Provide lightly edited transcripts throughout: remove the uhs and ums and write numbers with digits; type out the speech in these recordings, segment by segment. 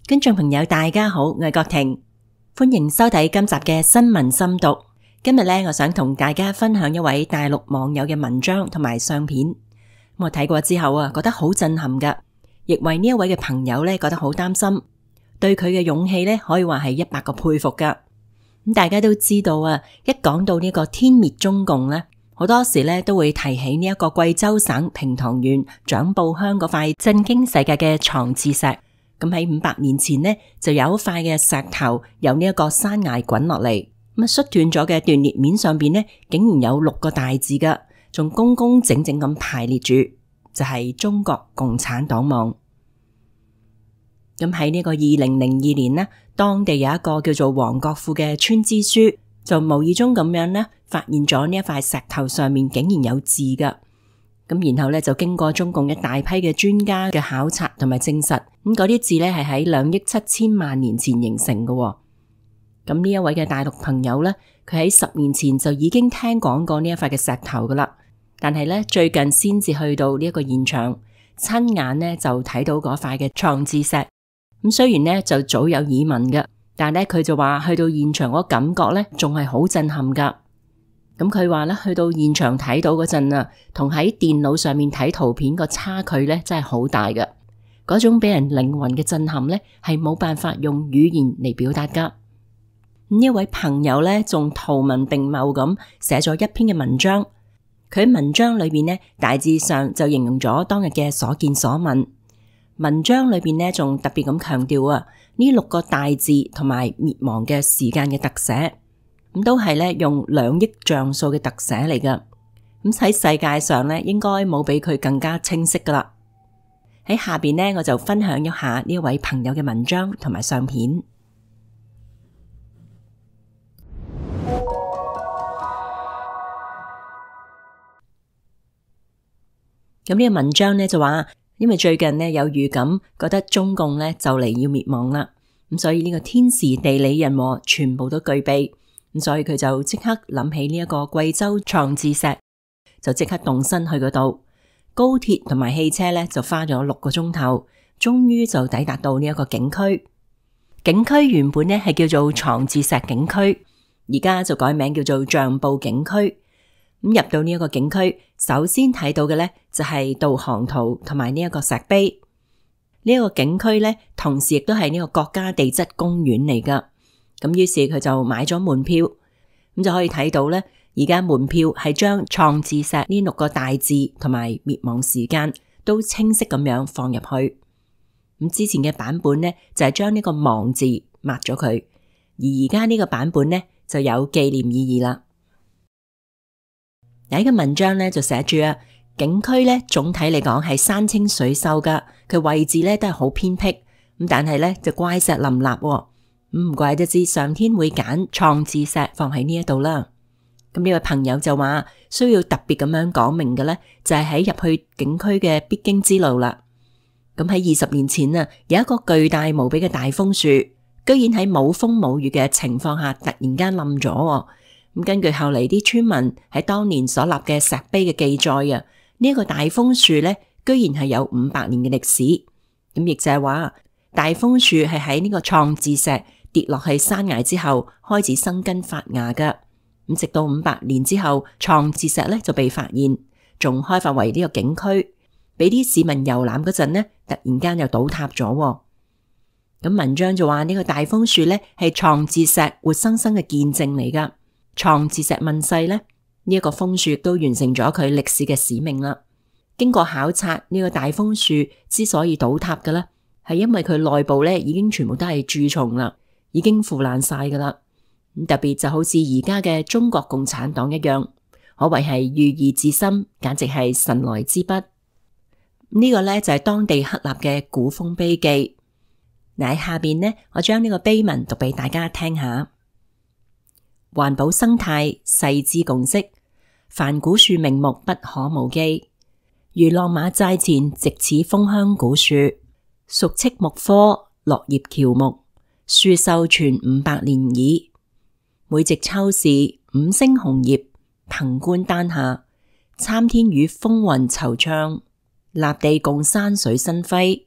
觀眾朋友大家好，我係郭婷，歡迎收睇今集嘅新聞深讀。今日咧，我想同大家分享一位大陸網友嘅文章同埋相片。我睇過之後覺得好震撼噶，亦為呢一位嘅朋友咧覺得好擔心，對佢嘅勇氣咧可以話係100個佩服噶。咁大家都知道一講到呢個殲滅中共咧，好多時咧都會提起呢一個貴州省平塘縣長埔鄉嗰塊震驚世界嘅床字石。咁喺500年前呢，就有一塊嘅石頭由呢一個山崖滾落嚟，咁摔斷咗嘅斷裂面上邊呢，竟然有6個大字噶，仲工工整整咁排列住，就係中國共產黨網。咁喺呢個2002年呢，當地有一個叫做黃國富嘅村支書，就無意中咁樣呢，發現咗呢一塊石頭上面竟然有字噶。咁然後咧就經過中共一大批嘅專家嘅考察同埋證實，咁嗰啲字咧係喺2億7千萬年前形成嘅。咁呢一位嘅大陸朋友咧，佢喺10年前就已經聽講過呢一塊嘅石頭噶啦，但係咧最近先至去到呢一個現場，親眼咧就睇到嗰塊嘅床字石。咁雖然咧就早有耳聞嘅，但係咧佢就話去到現場嗰感覺咧仲係好震撼噶。咁佢話咧，去到現場睇到嗰陣同喺電腦上面睇圖片個差距咧，真係好大嘅。嗰種俾人靈魂嘅震撼咧，係冇辦法用語言嚟表達噶。呢一位朋友咧，仲圖文並茂咁寫咗一篇嘅文章。佢喺文章裏邊呢，大致上就形容咗當日嘅所見所聞。文章裏邊呢，仲特別咁強調呢6個大字同埋滅亡嘅時間嘅特寫。咁都係咧用2億像素嘅特寫嚟噶，咁喺世界上咧應該冇比佢更加清晰噶啦。喺下邊呢，我就分享一下呢一位朋友嘅文章同埋相片。咁呢個文章呢，就話，因為最近呢有預感，覺得中共呢就嚟要滅亡啦，咁所以呢個天時地利人和全部都具備。咁所以佢就即刻諗起呢一個貴州床字石，就即刻動身去嗰度。高鐵同埋汽車咧就花咗6個鐘頭，終於就抵達到呢一個景區。景區原本咧係叫做床字石景區，而家就改名叫做長埔景區。咁入到呢一個景區，首先睇到嘅咧就係導航圖同埋呢一個石碑。呢一個景區咧，同時亦都係呢個國家地質公園嚟噶。咁於是佢就買咗門票，咁就可以睇到咧，而家門票係將床字石呢6個大字同埋滅亡時間都清晰咁樣放入去。咁之前嘅版本咧就係將呢個亡字抹咗佢，而而家呢個版本咧就有紀念意義啦。有一個文章咧就寫住景區咧總體嚟講係山清水秀噶，佢位置咧都係好偏僻，咁但係咧就怪石林立。唔怪得知上天會揀床字石放喺呢一度啦。咁呢位朋友就話需要特別咁樣講明嘅咧，就係喺入去景區嘅必經之路啦。咁喺20年前有一個巨大無比嘅大楓樹，居然喺冇風冇雨嘅情況下突然間冧咗。咁根據後嚟啲村民喺當年所立嘅石碑嘅記載呢一個大楓樹咧，居然係有500年嘅歷史。咁亦就係話大楓樹係喺呢個床字石跌落去山崖之後開始生根發芽噶，咁直到500年之後，床字石咧就被發現，仲開發為呢個景區，俾啲市民遊覽嗰陣呢，突然間又倒塌咗。咁文章就話呢個大楓樹咧係床字石活生生嘅見證嚟噶，床字石問世咧，呢一個楓樹亦都完成咗佢歷史嘅使命啦。經過考察，呢個大楓樹之所以倒塌嘅咧，係因為佢內部咧已經全部都係蛀蟲啦。已經腐爛晒噶啦，特別就好似而家嘅中國共產黨一樣，可謂係寓意至深，簡直係神來之筆。呢個咧就係當地刻立嘅古楓碑記。嗱，喺下邊呢，我將呢個碑文讀俾大家聽下。環保生態世之共識，凡古樹名木不可無記。如浪馬寨前植此楓香古樹，屬戚木科落葉喬木。樹壽傳500年矣，每值秋時5星紅葉，憑觀丹下，參天與風雲惆悵，立地共山水生輝。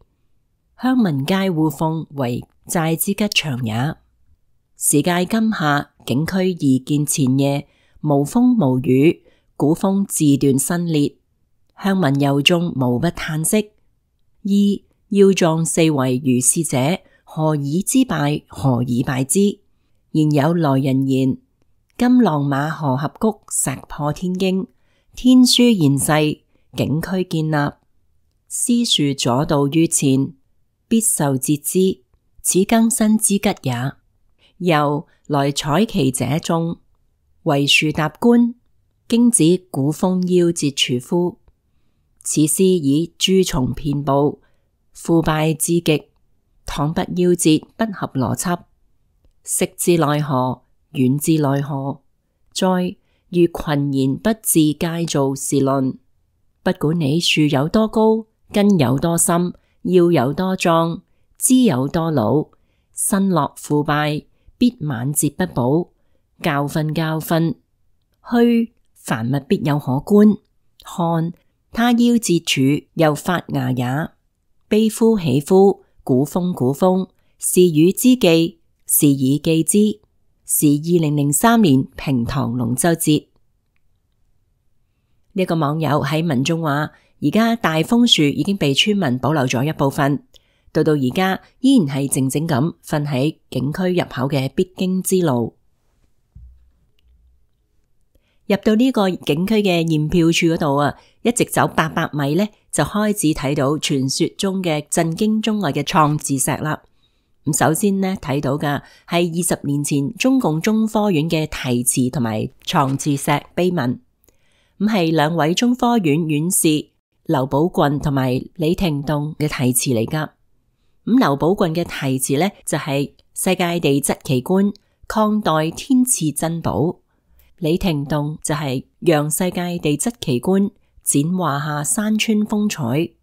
鄉民皆互諷為寨之吉祥也。時屆今夏，景區宜見前夜無風無雨，古風自斷新裂，鄉民由眾無不嘆息。二要狀四圍如是者，何以之敗？何以敗之？然有來人言：今浪馬河峽谷石破天驚，天書現世，景區建立，絲樹左道於前，必受節之，此更新之吉也。又來採其者眾，為樹搭觀，經指古風夭折處夫。此師以蛀蟲遍布，腐敗至極，倘不夭折，不合邏輯。食至奈何？遠至奈何？再如群言不自皆造是論，不管你樹有多高，根有多深，要有多壯，枝有多老，身落腐敗，必晚節不保。教訓教訓，虛凡物必有可觀。看他夭折處又發芽也。悲夫喜夫，古風古風，是汝之記，是以記之。是2003年平塘龍舟節。呢個網友喺文中話，而家大楓樹已經被村民保留咗一部分，到而家依然係靜靜咁瞓喺景區入口嘅必經之路。入到呢個景區嘅驗票處嗰度啊，一直走800米呢，就開始睇到傳說中嘅震驚中外嘅創字石啦。咁首先呢，睇到嘅係20年前中共中科院嘅題詞同埋創字石碑文，咁係2位中科院院士劉寶郡同埋李廷棟嘅題詞嚟噶。咁劉寶郡嘅題詞呢，就係世界地質奇觀，抗代天賜珍寶；李廷棟就係讓世界地質奇觀，展華夏山川風采。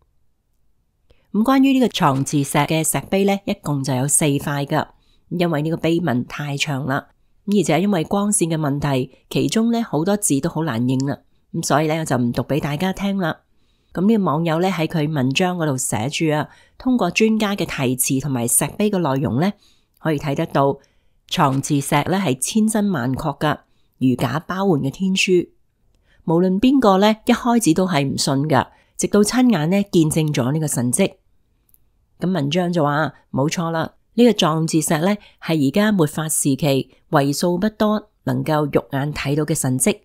咁關於呢個創字石嘅石碑呢，一共就有4塊噶，因為呢個碑文太長啦，而且因為光線嘅問題，其中呢好多字都好難認啦，咁所以呢，我就唔讀俾大家聽啦。咁呢個網友呢，喺佢文章嗰度寫住啊，通過專家嘅題詞同埋石碑嘅內容呢，可以睇得到創字石呢係千真萬確噶，如假包換嘅天書。無論邊個呢，一開始都係唔信噶，直到親眼呢見證咗呢個神蹟。咁文章就話冇錯啦，呢個壯字石呢係而家末法時期為數不多能夠肉眼睇到嘅神蹟，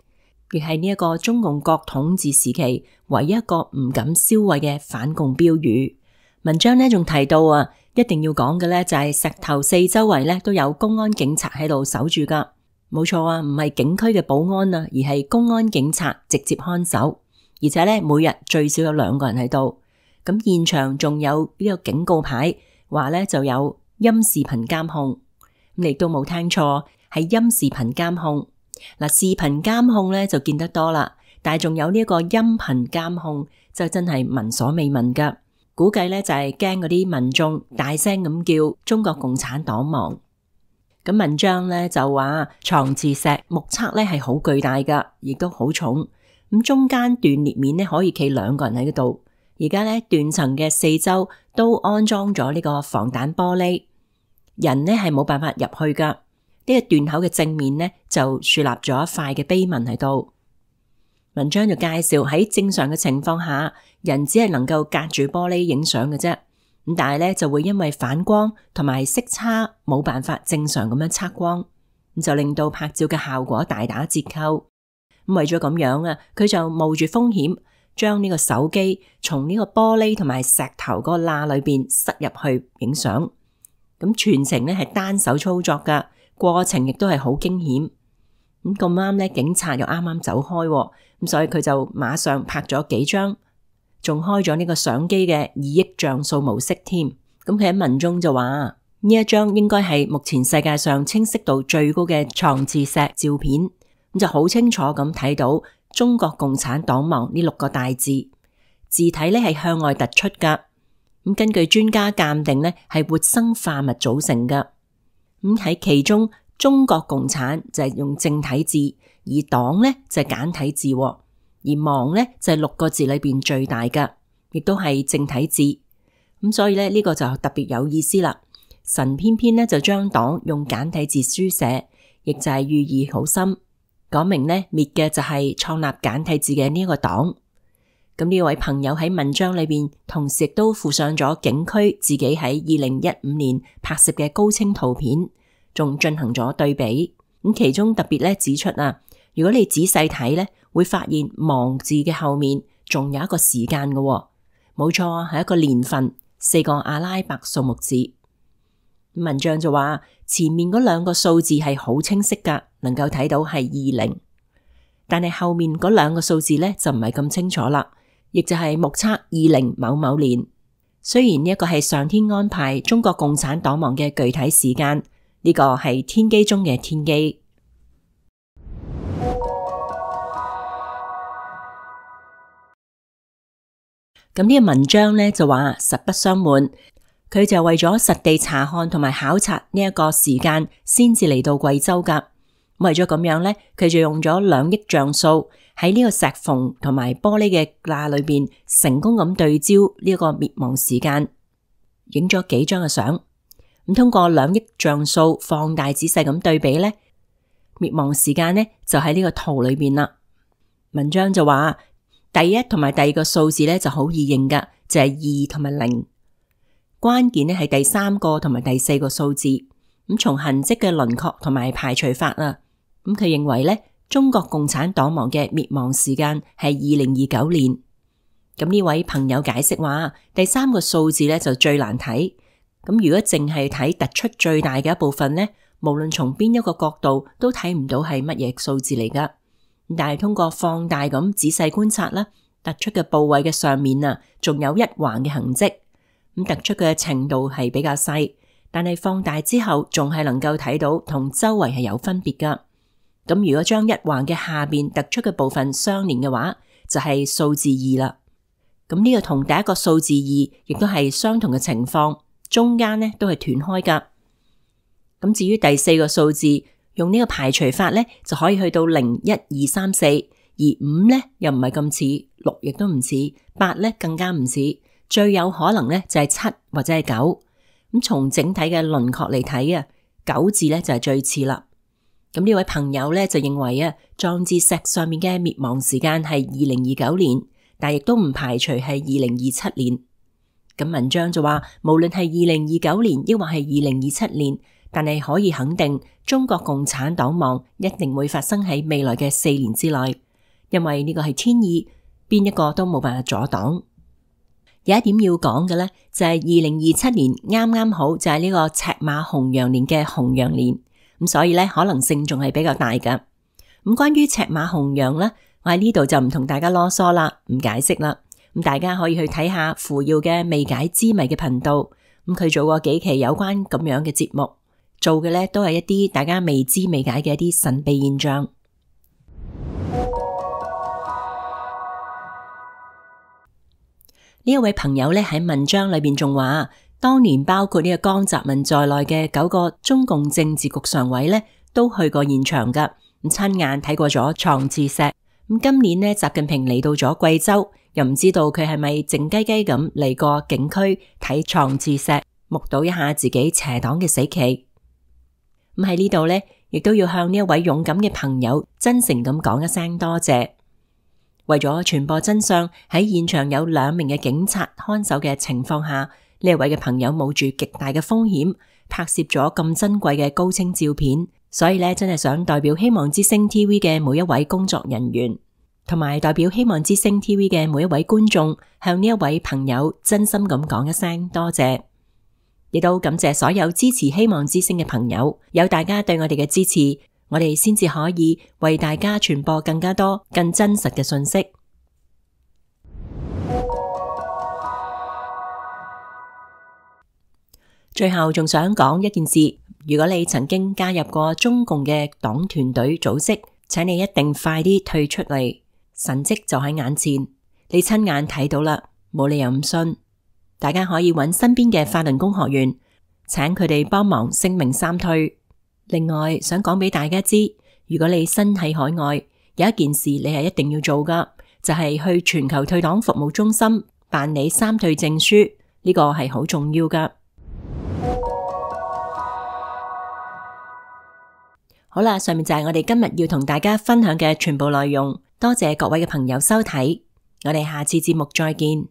亦係呢一個中共國統治時期唯一一個唔敢銷毀嘅反共標語。文章呢仲提到啊，一定要講嘅呢就係石頭四周圍呢都有公安警察喺度守住噶，冇錯啊，唔係景區嘅保安啊，而係公安警察直接看守，而且呢每日最少有2個人喺度。咁現場仲有呢個警告牌，話呢就有音視頻監控，你都冇聽錯，係音視頻監控。嗱，視頻監控呢就見得多啦，但係仲有呢一個音頻監控，就真係聞所未聞噶。估計呢就係驚嗰啲民眾大聲咁叫中國共產黨亡。咁文章呢就話創字石目測呢係好巨大噶，亦都好重。咁中間斷裂面呢可以企2個人喺嗰度。而家呢斷層嘅四周都安裝咗呢個防彈玻璃，人呢係冇辦法入去噶。呢個斷口嘅正面呢就豎立咗一塊嘅碑文喺度。文章就介紹喺正常嘅情況下，人只係能夠隔住玻璃影相嘅啫。咁但係呢就會因為反光同埋色差冇辦法正常咁樣測光，咁就令到拍照嘅效果大打折扣。咁為咗咁樣啊，佢就冒住風險，將呢個手機從呢個玻璃同埋石頭嗰個罅裏邊塞入去影相，咁全程呢係單手操作噶，過程亦都係好驚險。咁咁啱呢，警察又啱啱走開，咁所以佢就馬上拍咗幾張，仲開咗呢個相機嘅2億像素模式添。咁佢喺文中就話呢一張應該係目前世界上清晰度最高嘅創字石照片，咁就好清楚咁睇到中國共產黨亡呢6個大字，字體呢係向外突出噶。咁根據專家鑑定呢係活生化物組成噶。咁喺其中中國共產就係用正體字，而黨呢就係簡體字，而亡呢就係6個字裏邊最大噶，亦都係正體字。咁所以咧呢個就特別有意思啦。神偏偏咧就將黨用簡體字書寫，亦就係寓意好深，講明咧滅嘅就係創立簡體字嘅呢一個黨。咁呢位朋友喺文章裏邊，同時亦都附上咗景區自己喺2015年拍攝嘅高清圖片，仲進行咗對比。咁其中特別咧指出啊，如果你仔細睇咧，會發現亡字嘅後面仲有一個時間嘅，冇錯，係一個年份，4個阿拉伯數目字。文章就話前面嗰2個數字係好清晰噶，能夠睇到係20，但係後面嗰2個數字咧就唔係咁清楚啦。亦就係目測20某某年，雖然呢一個係上天安排中國共產黨亡嘅具體時間，呢個係天機中嘅天機。咁呢個文章呢，就話實不相瞞，佢就為咗實地查看同埋考察呢一個時間，先至嚟到貴州噶。為咗咁樣呢，佢就用咗2億像素喺呢個石縫同埋玻璃嘅罅裏邊，成功咁對焦呢個滅亡時間，影咗幾張嘅相。咁通過2億像素放大仔細咁對比呢，滅亡時間呢就喺呢個圖裏邊啦。文章就話第一同埋第2個數字呢就好易認噶，就係2同埋0。關鍵呢係第3個同埋第4個數字。咁從痕跡嘅輪廓同埋排除法啊，咁佢認為咧，中國共產黨亡嘅滅亡時間係2029年。咁呢位朋友解釋話，第3個數字咧就最難睇。咁如果淨係睇突出最大嘅一部分咧，無論從邊一個角度都睇唔到係乜嘢數字嚟噶。但係通過放大咁仔細觀察啦，突出嘅部位嘅上面啊，仲有一橫嘅痕跡。咁突出嘅程度係比較細。但係放大之後，仲係能夠睇到同周圍係有分別噶。咁如果將一橫嘅下邊突出嘅部分相連嘅話，就係數字2啦。咁呢個同第一個數字2亦都係相同嘅情況，中間呢都係斷開噶。咁至於第4個數字，用呢個排除法呢，就可以去到0、1、2、3、4，而5呢又唔係咁似，6亦都唔似，8呢更加唔似，最有可能呢就係7或者係9。咁從整體嘅輪廓嚟睇啊，9字咧就係最似啦。咁呢位朋友咧就認為啊，壯志石上面嘅滅亡時間係2029年，但亦都唔排除係2027年。咁文章就話，無論係2029年抑或係2027年，但係可以肯定，中國共產黨亡一定會發生喺未來嘅4年之內，因為呢個係天意，邊一個都冇辦法阻擋。有一點要講嘅咧，就係2027年啱啱好就係呢個赤馬紅羊年嘅紅羊年，咁所以咧可能性仲係比較大噶。咁關於赤馬紅羊咧，我喺呢度就唔同大家囉嗦啦，唔解釋啦。咁大家可以去睇下扶搖嘅未解之謎嘅頻道，咁佢做過幾期有關咁樣嘅節目，做嘅咧都係一啲大家未知未解嘅一啲神秘現象。呢一位朋友咧喺文章裏邊仲話，當年包括呢個江澤民在內嘅9個中共政治局常委咧都去過現場噶，咁親眼睇過咗床字石。咁今年呢，習近平嚟到咗貴州，又唔知道佢係咪靜雞雞咁嚟過景區睇床字石，目睹一下自己邪黨嘅死期。咁喺呢度咧，亦都要向呢一位勇敢嘅朋友真誠咁講一聲多謝。為咗傳播真相，喺現場有2名嘅警察看守嘅情況下，呢一位嘅朋友冒住極大嘅風險，拍攝咗咁珍貴嘅高清照片。所以咧，真係想代表希望之聲 TV 嘅每一位工作人員，同埋代表希望之聲 TV 嘅每一位觀眾，向呢一位朋友真心咁講一聲多謝。亦都感謝所有支持希望之聲嘅朋友，有大家對我哋嘅支持，我哋先至可以為大家傳播更加多、更真實嘅信息。最後仲想講一件事，如果你曾經加入過中共嘅黨團隊組織，請你一定快啲退出嚟，神蹟就喺眼前，你親眼睇到啦，冇理由唔信。大家可以揾身邊嘅法輪功學員，請佢哋幫忙聲明三退。另外想講俾大家知，如果你身喺海外，有一件事你係一定要做噶，就係去全球退黨服務中心辦理三退證書，呢個係好重要㗎。好啦，上面就係我哋今日要同大家分享嘅全部內容。多謝各位嘅朋友收睇，我哋下次節目再見。